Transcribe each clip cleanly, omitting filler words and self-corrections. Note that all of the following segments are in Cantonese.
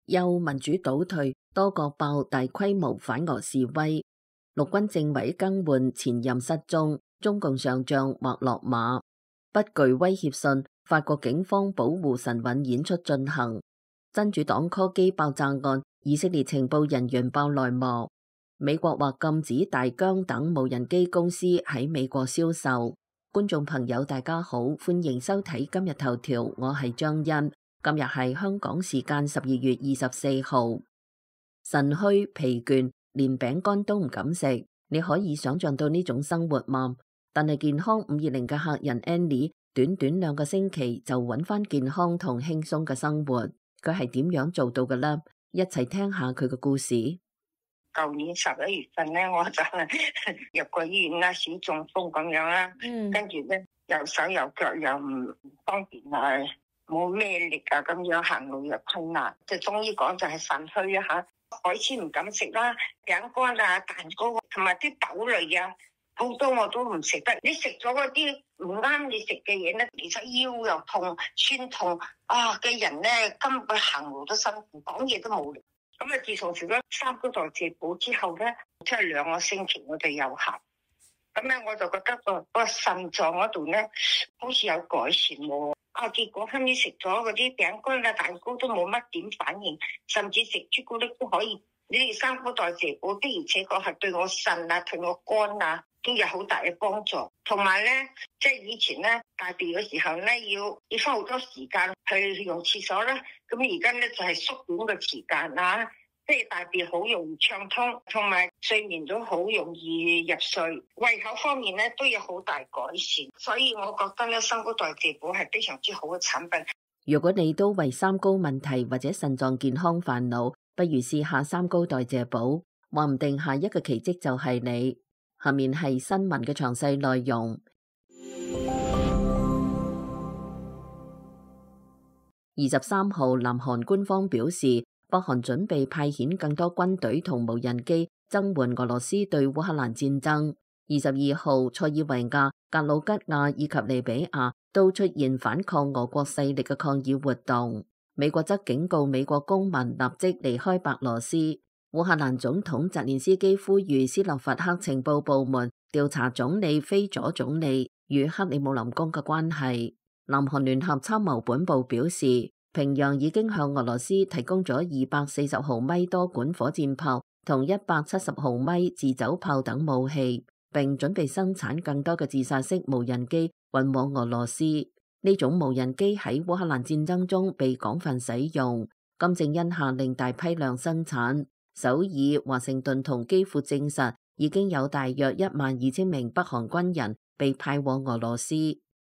憂民主倒退，多國爆大規模反俄示威。陸軍政委更換，前任失蹤，中共上將或落馬。不具威脅信，法國警方保護神韻演出進行。真主黨柯基爆炸案，以色列情報人員爆內幕。美國或禁止大疆等無人機公司喺美國銷售。觀眾朋友大家好，歡迎收睇今日頭條，我係張欣。今日係香港時間12月24號。腎虛疲倦，連餅乾都唔敢食，你可以想象到呢種生活嗎？但係健康520嘅客人 Annie， 短短2個星期就揾翻健康同輕鬆嘅生活，佢係點樣做到嘅呢？一齊聽下佢嘅故事。舊年11月份咧，我就入過醫院啦，小中風咁樣啦，跟住咧右手右腳又唔方便啊，冇咩力啊，咁樣行路又困難，就中醫講就係腎虛啊吓，海鮮唔敢食啦，餅乾啊、蛋糕同埋啲豆類啊，好多我都唔食得。你食咗嗰啲唔啱你食嘅嘢咧，其實腰又痛、酸痛啊嘅人咧，根本行路都辛苦，講嘢都冇力。咁啊，自從食咗三高代謝補之後咧，即係2個星期我哋又行。咁咧我就覺得個腎臟嗰度咧，好似有改善喎。結果後尾食咗嗰啲餅乾啊、蛋糕都冇乜點反應，甚至食朱古力都可以。你哋三高代謝補的而且確係對我腎啊、對我肝啊都有好大嘅幫助。同埋咧，即係以前咧大便嘅時候咧，要花好多時間去用廁所啦。咁而家咧就係縮短個時間啦，即係大便好容易暢通，同埋睡眠都好容易入睡。胃口方面咧都有好大改善，所以我覺得咧三高代謝補係非常之好嘅產品。如果你都為三高問題或者腎臟健康煩惱，不如試下三高代謝補，話唔定下一個奇蹟就係你。下面係新聞嘅詳細內容。23號，南韓官方表示，北韓準備派遣更多軍隊同無人機增援俄羅斯對烏克蘭戰爭。22號，塞爾維亞、格魯吉亞以及利比亞都出現反抗俄國勢力嘅抗議活動。美國則警告美國公民立即離開白羅斯。烏克蘭總統澤連斯基呼籲斯洛伐克情報部門調查總理菲佐總理與克里姆林宮嘅關係。南韓聯合參謀本部表示，平壤已經向俄羅斯提供咗240毫米多管火箭炮同170毫米自走炮等武器，並準備生產更多嘅自殺式無人機運往俄羅斯。呢種無人機喺烏克蘭戰爭中被廣泛使用。金正恩下令大批量生產。首爾、華盛頓同基輔證實已經有大約12000名北韓軍人被派往俄羅斯。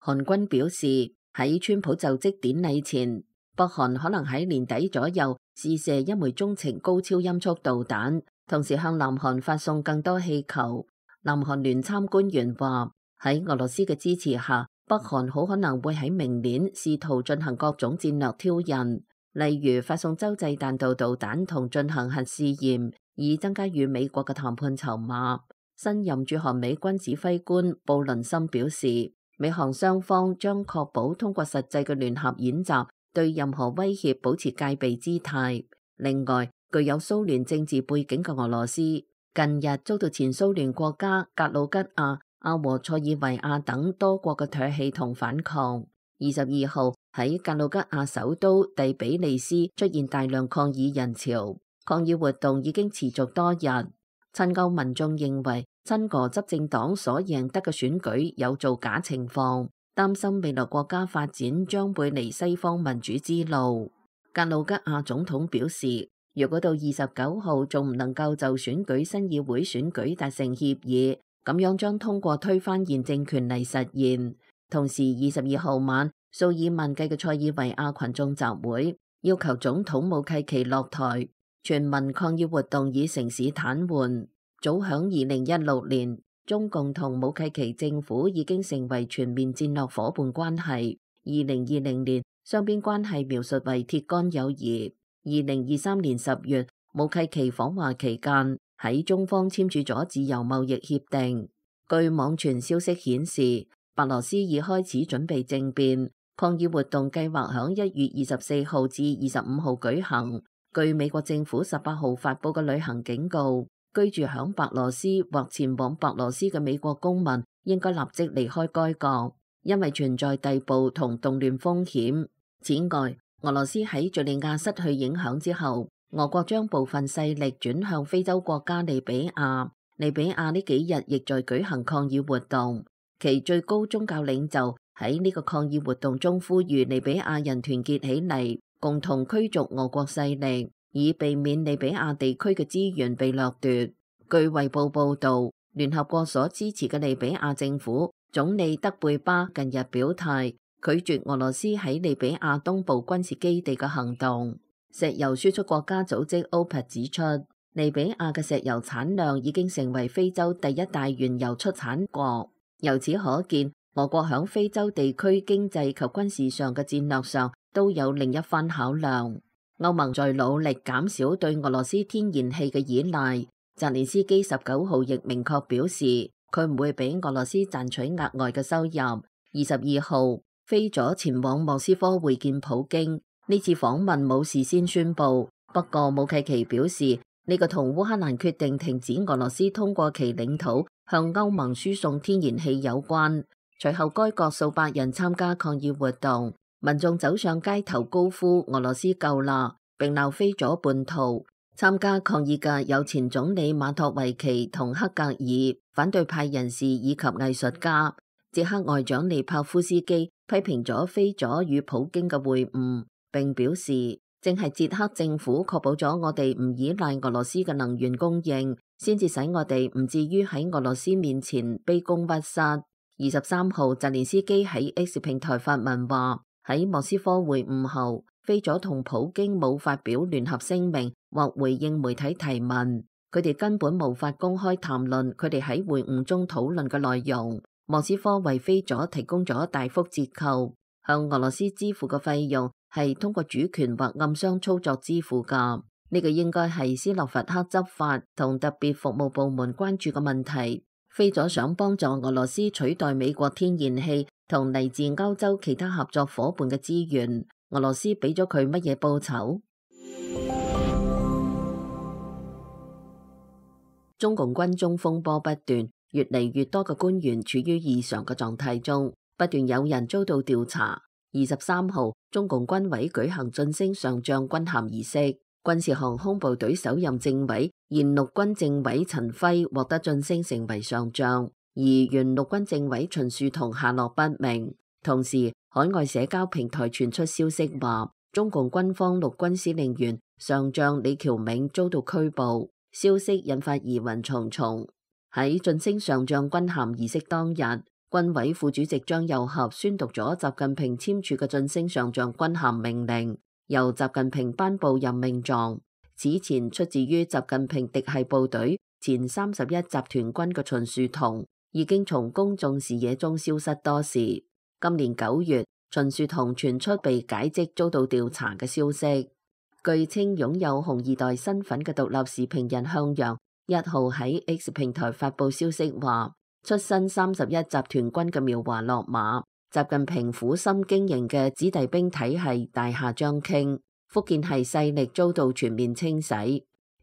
韓軍表示，喺川普就職典禮前，北韓可能喺年底左右試射一枚中程高超音速導彈，同時向南韓發送更多氣球。南韓聯參官員話，喺俄羅斯嘅支持下，北韓好可能會喺明年試圖進行各種戰略挑釁，例如發送洲際彈道導彈同進行核試驗，以增加與美國嘅談判籌碼。新任駐韓美軍指揮官布倫森表示，美韓雙方將確保通過實際嘅聯合演習，對任何威脅保持戒備姿態。另外，具有蘇聯政治背景嘅俄羅斯近日遭到前蘇聯國家格魯吉亞、阿和塞爾維亞等多國嘅唾棄同反抗。22號喺格魯吉亞首都第比利斯出現大量抗議人潮，抗議活動已經持續多日。親歐民眾認為親俄執政黨所贏得嘅選舉有造假情況，擔心未來國家發展將會離西方民主之路。格魯吉亞總統表示，如果到29號仲唔能夠就選舉新議會選舉達成協議，咁樣將通過推翻現政權嚟實現。同時22號晚，數以萬計嘅塞爾維亞群眾集會，要求總統武契奇落台。全民抗議活動以城市癱瘓。早響2016年，中共同武契奇政府已經成為全面戰略夥伴關係。2020年，雙邊關係描述為鐵桿友誼。2023年10月，武契奇訪華期間，喺中方簽署咗自由貿易協定。據網傳消息顯示，白羅斯已開始準備政變，抗議活動計劃響1月24號至25號舉行。據美國政府18號發佈嘅旅行警告，居住響白羅斯或前往白羅斯嘅美國公民應該立即離開該國，因為存在逮捕同動亂風險。此外，俄羅斯喺敘利亞失去影響之後，俄國將部分勢力轉向非洲國家利比亞。利比亞呢幾日亦在舉行抗議活動，其最高宗教領袖喺呢個抗議活動中呼籲利比亞人團結起嚟，共同驅逐俄國勢力，以避免利比亞地區嘅資源被掠奪。據衛報報導，聯合國所支持嘅利比亞政府總理德貝巴近日表態，拒絕俄羅斯喺利比亞東部軍事基地嘅行動。石油輸出國家組織 OPEC 指出，利比亞嘅石油產量已經成為非洲第一大原油出產國。由此可見，俄國響非洲地區經濟及軍事上嘅戰略上都有另一番考量。歐盟在努力減少對俄羅斯天然氣嘅依賴。澤連斯基19號亦明確表示，佢唔會俾俄羅斯賺取額外嘅收入。22號飛咗前往莫斯科會見普京。呢次訪問冇事先宣佈，不過武契奇表示呢個同烏克蘭決定停止俄羅斯通過其領土向歐盟輸送天然氣有關。隨後該國數百人參加抗議活動，民眾走上街頭高呼俄羅斯夠啦，並鬧飛咗叛徒。參加抗議嘅有前總理馬托維奇同克格爾、反對派人士以及藝術家。捷克外長利帕夫斯基批評咗飛咗與普京嘅會晤，並表示正係捷克政府確保咗我哋唔依賴俄羅斯嘅能源供應，先至使我哋唔至於喺俄羅斯面前卑躬屈膝。23號，澤連斯基喺 X 平台發文話，喺莫斯科會晤後，飛咗同普京冇發表聯合聲明或回應媒體提問，佢哋根本無法公開談論佢哋喺會晤中討論嘅內容。莫斯科為飛咗提供咗大幅折扣，向俄羅斯支付嘅費用係通過主權或暗箱操作支付㗎。呢個應該係斯洛伐克執法同特別服務部門關注嘅問題。飛咗想幫助俄羅斯取代美國天然氣同嚟自歐洲其他合作夥伴嘅資源，俄羅斯俾咗佢乜嘢報酬？中共軍中風波不斷，越嚟越多嘅官員處於異常嘅狀態中，不斷有人遭到調查。23號，中共軍委舉行晉升上將軍銜儀式，軍事航空部隊首任政委、現陸軍政委陳輝獲得晉升成為上將，而原陸軍政委秦樹同下落不明。同時，海外社交平台傳出消息話，中共軍方陸軍司令員上將李喬銘遭到拘捕，消息引發疑雲重重。喺晉升上將軍銜儀式當日，軍委副主席張又俠宣讀咗習近平簽署嘅晉升上將軍銜命令，由習近平頒布任命狀。此前出自於習近平嫡系部隊前31集團軍嘅秦樹同已經從公眾視野中消失多時。今年9月，秦樹同傳出被解職遭到調查嘅消息。據稱擁有紅二代身份嘅獨立時評人向陽1號喺 X 平台發布消息話，出身31集團軍嘅苗華落馬，習近平苦心經營嘅子弟兵體系大廈將傾，福建系勢力遭到全面清洗。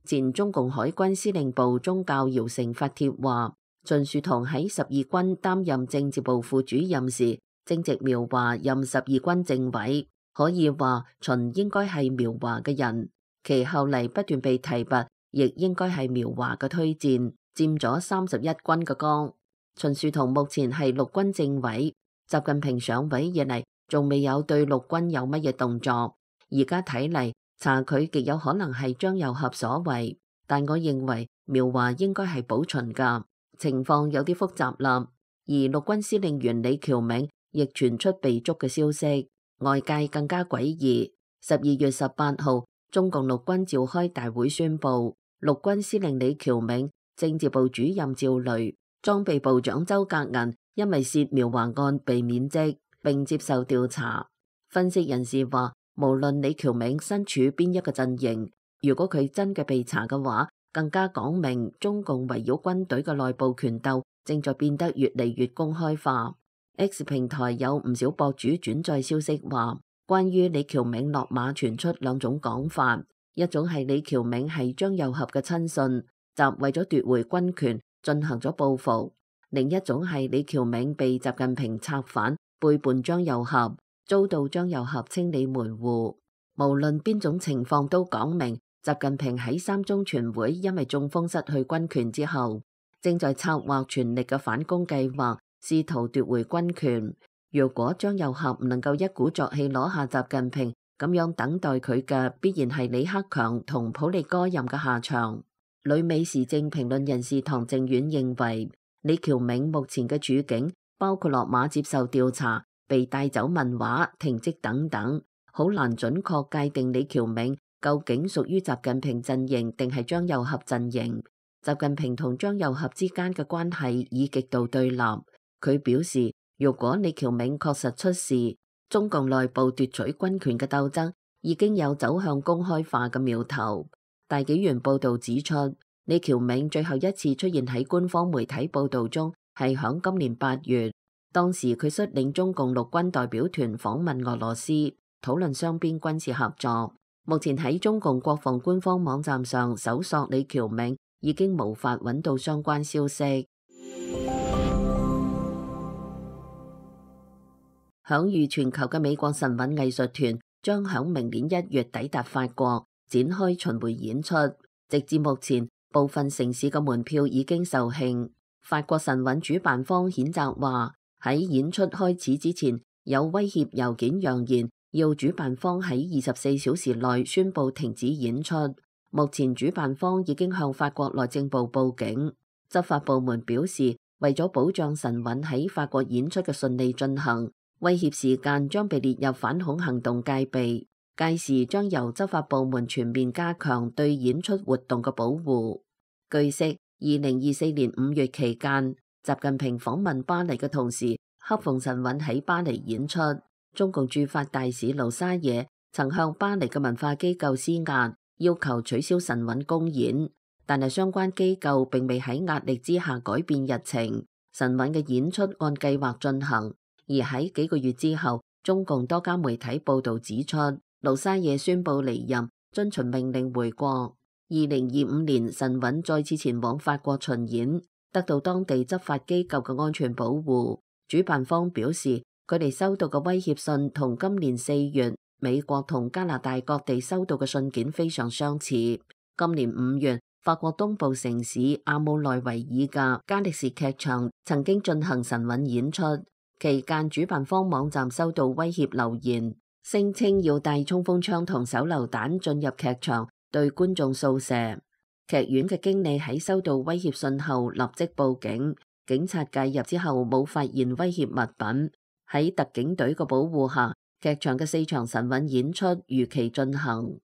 前中共海軍司令部中校姚成發帖話，秦樹同喺12軍擔任政治部副主任時，正值苗華任12軍政委，可以話秦應該係苗華嘅人，其後嚟不斷被提拔，亦應該係苗華嘅推薦，佔咗31軍嘅崗。秦樹同目前係陸軍政委，習近平上位以嚟仲未有對陸軍有乜嘢動作，而家睇嚟查佢極有可能係張又俠所為，但我認為苗華應該係保秦㗎，情況有啲複雜啦。而陸軍司令員李喬銘亦傳出被捉嘅消息，外界更加詭異。12月18號，中共陸軍召開大會宣布，陸軍司令李喬銘、政治部主任趙雷、裝備部長周格銀因為涉苗華案被免職並接受調查。分析人士話，無論李喬銘身處邊一個陣營，如果佢真嘅被查嘅話，更加講明中共圍繞軍隊嘅內部權鬥正在變得越嚟越公開化。X 平台有唔少博主轉載消息話，關於李喬銘落馬傳出兩種講法，一種係李喬銘係張又俠嘅親信，習為咗奪回軍權進行咗報復；另一種係李喬銘被習近平策反，背叛張又俠，遭到張又俠清理門戶。無論邊種情況都講明，習近平喺三中全會因為中風失去軍權之後，正在策劃全力嘅反攻計劃，試圖奪回軍權。如果張又俠唔能夠一鼓作氣攞下習近平，咁樣等待佢嘅必然係李克強同普利戈任嘅下場。旅美時政評論人士唐靖遠認為，李喬銘目前嘅處境，包括落馬接受調查、被帶走問話、停職等等，好難準確界定李喬銘究竟屬於習近平陣營定係張又俠陣營。習近平同張又俠之間嘅關係已極度對立。佢表示，如果李喬銘確實出事，中共內部奪取軍權嘅鬥爭已經有走向公開化嘅苗頭。大紀元報道指出，李喬銘最後一次出現喺官方媒體報道中係響今年8月，當時佢率領中共陸軍代表團訪問俄羅斯，討論雙邊軍事合作。目前喺中共國防官方網站上搜索李喬銘，已經無法揾到相關消息。享譽全球嘅美國神韻藝術團將響明年1月抵達法國，展開巡迴演出。直至目前，部分城市嘅門票已經售罄。法國神韻主辦方譴責話，喺演出開始之前，有威脅郵件揚言要主辦方喺24小時內宣布停止演出。目前主辦方已經向法國內政部報警。執法部門表示，為咗保障神韻喺法國演出嘅順利進行，威脅時間將被列入反恐行動戒備，屆時將由執法部門全面加強對演出活動嘅保護。據悉，2024年5月期間，習近平訪問巴黎嘅同時，恰逢神韻喺巴黎演出。中共駐法大使盧沙野曾向巴黎嘅文化機構施壓，要求取消神韻公演，但係相關機構並未喺壓力之下改變日程，神韻嘅演出按計劃進行。而喺幾個月之後，中共多家媒體報道指出，盧沙野宣布離任，遵循命令回國。2025年，神韻再次前往法國巡演，得到當地執法機構嘅安全保護。主辦方表示，佢哋收到嘅威脅信同今年4月美國同加拿大各地收到嘅信件非常相似。今年5月，法國東部城市阿姆內維爾嘅加力士劇場曾經進行神韻演出。期間，主辦方網站收到威脅留言，聲稱要帶衝鋒槍同手榴彈進入劇場，對觀眾掃射。劇院嘅經理喺收到威脅信後立即報警，警察介入之後冇發現威脅物品。喺特警隊嘅保護下，劇場嘅4場神韻演出如期進行。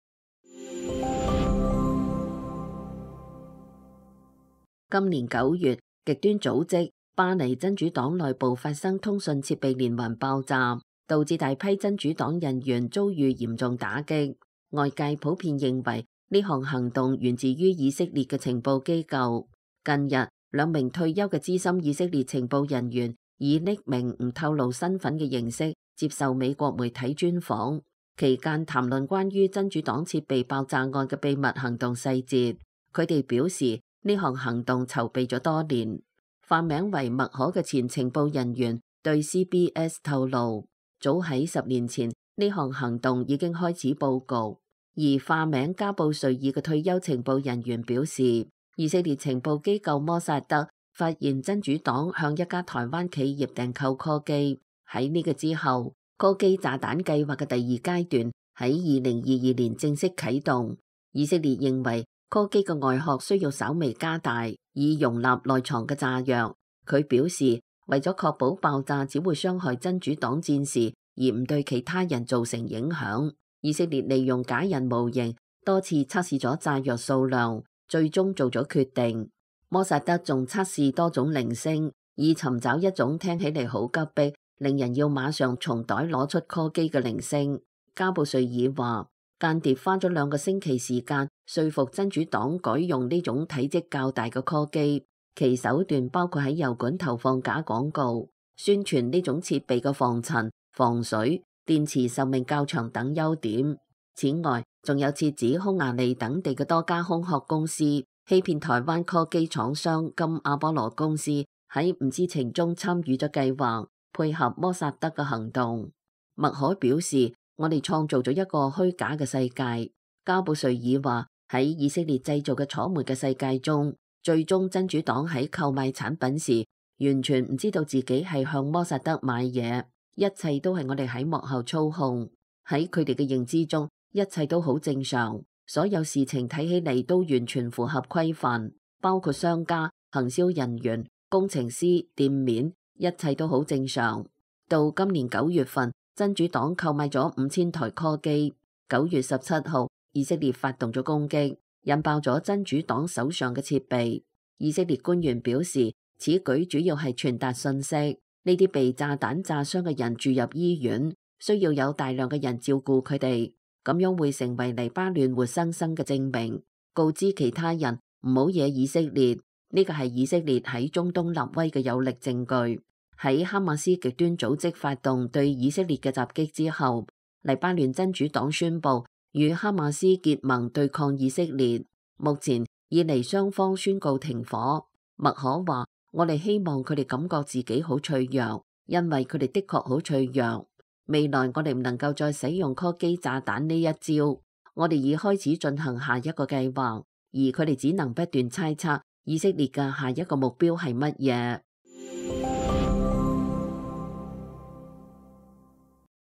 今年9月，極端組織巴黎真主黨內部發生通訊設備連環爆炸，導致大批真主黨人員遭遇嚴重打擊。外界普遍認為呢項行動源自於以色列嘅情報機構。近日，2名退休嘅資深以色列情報人員以匿名唔透露身份嘅形式接受美國媒體專訪，期間談論關於真主黨設備爆炸案嘅秘密行動細節。佢哋表示呢項行動籌備咗多年。化名為麥可嘅前情報人員對 CBS 透露，早喺10年前呢項行動已經開始佈局。而化名加布瑞爾嘅退休情報人員表示，以色列情報機構摩薩德發現真主黨向一家台灣企業訂購柯基。喺呢個之後，柯基炸彈計劃嘅第2階段喺2022年正式啟動。以色列認為柯基嘅外殼需要稍微加大，以容納內藏嘅炸藥。佢表示，為咗確保爆炸只會傷害真主黨戰士，而唔對其他人造成影響，以色列利用假人模型多次測試咗炸藥數量，最終做咗決定。摩薩德仲測試多種鈴聲，以尋找一種聽起嚟好急迫，令人要馬上從袋攞出柯基嘅鈴聲。加布瑞爾話，間諜花咗2個星期時間說服真主黨改用呢種體積較大嘅柯基，其手段包括喺油管投放假廣告，宣傳呢種設備嘅防塵、防水、電池壽命較長等優點。此外，仲有設指匈牙利等地嘅多家空殼公司欺騙台灣科技廠商金阿波羅公司喺唔知情中參與咗計劃，配合摩薩德嘅行動。麥可表示：我哋創造咗一個虛假嘅世界。加布瑞爾話：喺以色列製造嘅楚門嘅世界中，最終真主黨喺購買產品時，完全唔知道自己係向摩薩德買嘢，一切都係我哋喺幕後操控。喺佢哋嘅認知中，一切都好正常，所有事情睇起嚟都完全符合規範，包括商家、行銷人員、工程師、店面，一切都好正常。到今年9月份，真主黨購買咗5000台柯基。9月17號，以色列發動咗攻擊，引爆咗真主黨手上嘅設備。以色列官員表示，此舉主要係傳達信息，呢啲被炸彈炸傷嘅人住入醫院，需要有大量嘅人照顧佢哋，咁樣會成為黎巴嫩活生生嘅證明，告知其他人唔好惹以色列。呢個係以色列喺中東立威嘅有力證據。喺哈馬斯極端組織發動對以色列嘅襲擊之後，黎巴嫩真主黨宣布與哈馬斯結盟對抗以色列。目前以嚟雙方宣告停火。麥可話：我哋希望佢哋感覺自己好脆弱，因為佢哋的確好脆弱。未來我哋唔能夠再使用柯基炸彈呢一招，我哋已開始進行下一個計劃，而佢哋只能不斷猜測以色列嘅下一個目標係乜嘢。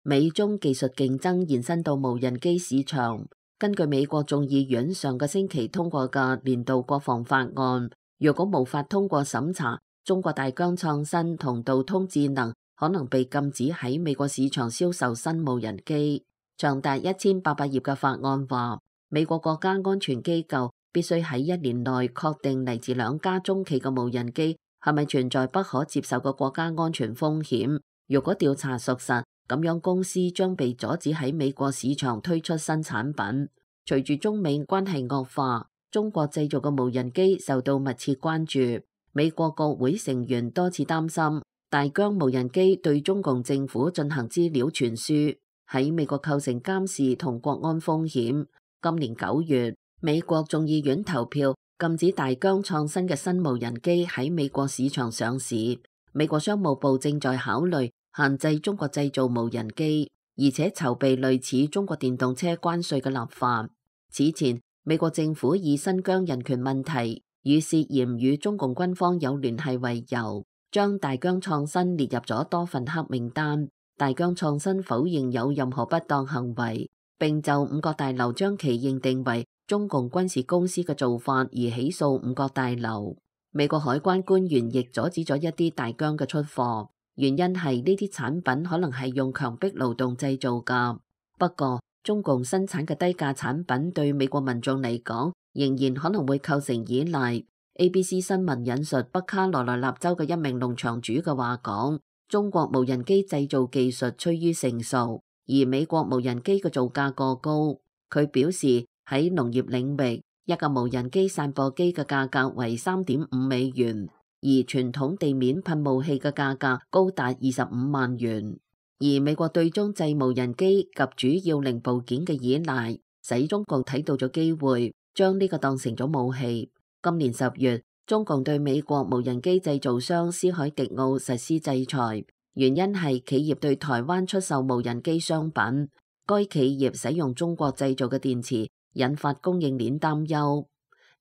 美中技術競爭延伸到無人機市場。根據美國眾議院上個星期通過嘅年度國防法案，如果無法通過審查，中國大疆創新同道通智能可能被禁止喺美國市場銷售新無人機。長達1800頁嘅法案話，美國國家安全機構必須喺1年內確定嚟自2家中企嘅無人機係咪存在不可接受嘅國家安全風險。如果調查屬實，咁樣公司將被阻止喺美國市場推出新產品。隨住中美關係惡化，中國製造嘅無人機受到密切關注。美國國會成員多次擔心大疆無人機對中共政府進行資料傳輸，喺美國構成監視同國安風險。今年9月，美國眾議院投票禁止大疆創新嘅新無人機喺美國市場上市。美國商務部正在考慮限制中國製造無人機，而且籌備類似中國電動車關稅嘅立法。此前，美國政府以新疆人權問題與涉嫌與中共軍方有聯繫為由，將大疆創新列入咗多份黑名單。大疆創新否認有任何不當行為，並就五角大樓將其認定為中共軍事公司嘅做法而起訴五角大樓。美國海關官員亦阻止咗一啲大疆嘅出貨，原因係呢啲產品可能係用強迫勞動製造㗎。不過，中共生產嘅低價產品對美國民眾嚟講，仍然可能會構成依賴。ABC 新聞引述北卡羅來納州嘅一名農場主嘅話講，中國無人機製造技術趨於成熟，而美國無人機嘅造價過高。佢表示喺農業領域，一架無人機散播機嘅價格為3.5美元，而傳統地面噴霧器嘅價格高達25萬元。而美國對中製無人機及主要零部件嘅依賴，使中共睇到咗機會，將呢個當成咗武器。今年10月，中共對美國無人機製造商斯海迪奧實施制裁，原因係企業對台灣出售無人機商品，該企業使用中國製造嘅電池，引發供應鏈擔憂。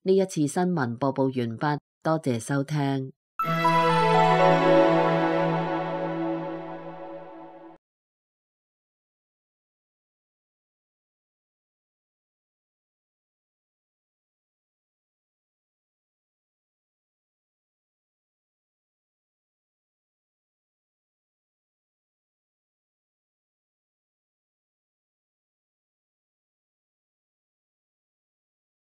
呢一次新聞播報完畢，多謝收聽。